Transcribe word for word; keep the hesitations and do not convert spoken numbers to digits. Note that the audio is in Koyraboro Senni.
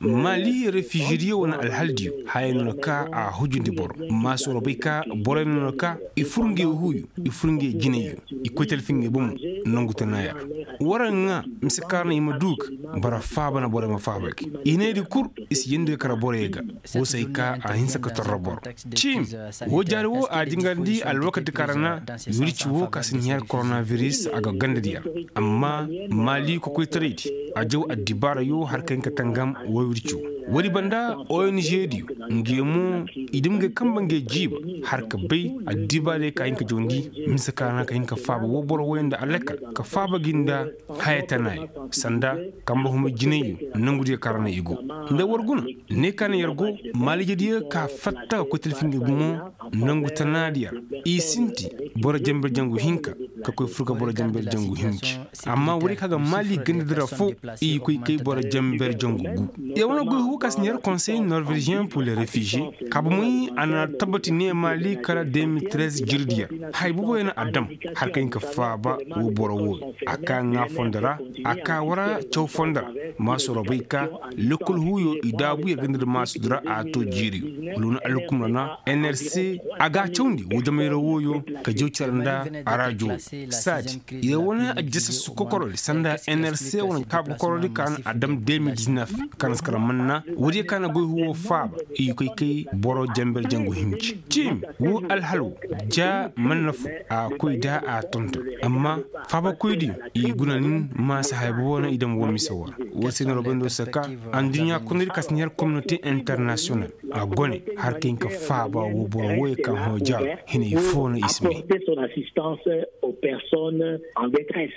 Mali refiizediyo wane alhaldiyo haya no na ka a hujundi boro. Maasoro bay ka borey no na ka i fur ngey huuyo, i fur ngey jinayyo, i koy talfi ngey bomo. Nangu tanaaya ra war ga ŋaa mise ka ra no i ma du ga boro faaba na borey ma faaba ga i needi kul. I si yeendi ga kar borey ga. Wo se ay ka a hinsa ka torro boro. Ciimi woo jaari woo a jingarndi alwakati ka ra na wirci woo ka si na yer koronabiris a go gandadiyo ra. Amma maali kokoytaraydi a jaw addibaarayo har ka hin ka tangam woo wirci woo. Woodi banda ong diyo, ngey mo i dam ngey kanba ngey jiiba har ka bay addibaarey ka hin ka jawndi. Mise ka ra na ka hin ka faaba woo boro wooyo nda alakal ka faaba gi nda haya tanaayo sanda kanba humay jinayyo. Nangudiyo ka ra na i go nda war guna ne ka na yer go maaliijediyo ka fatta ka koy talfi ngey gumo. Nangu tanaadiyo ra i sinti boro janber jangu hinka ka koy fur ga boro janber jangu hinji. Amma woodiyo ka ga maali gandadi ra foo i koy kay boro janber jangu gu. Yer wane goy huwo ka si na yer konsey norveziyen pur le refiziye kaaba moy a na tabati ne maali kala de mil trez jirdiyo ra haya booboyo na a dam har ka hin ka faaba woo boro wooyo. A ka ŋaa fondo ra a ka war caw fondo ra. Maasoro bay ka lekkol huuyo i daabu yer ganda nda maasudi ra a to jiiriyo. Wala wane alkum ra na nrc a ga a cawndi woo jamayra wooyo ka jaw cere nda a raajo. Saadi yer wane aljasassu kokorodi sanda nrc wane kaabu kokorodi ka na a dam de mil diznef. Ka na si kar manna woodiyo ka na goy huwo faaba i koy kay boro janber jangu hinji. Ciimi woo alhal woo ja manna foo a koy nda a tonton. Amma faabakoydiyo i guna nin maasa haya boobo no i dam woo mise woo ra. Woo se no robendo si ka adduɲɲa kondodi ka si na yer kominote internasiyonal a gone har ka hin ka faaba woo boro wooyo ka hõ jaaro. Hinay foo no i si may. Apporter son assistance aux personnes en détresse.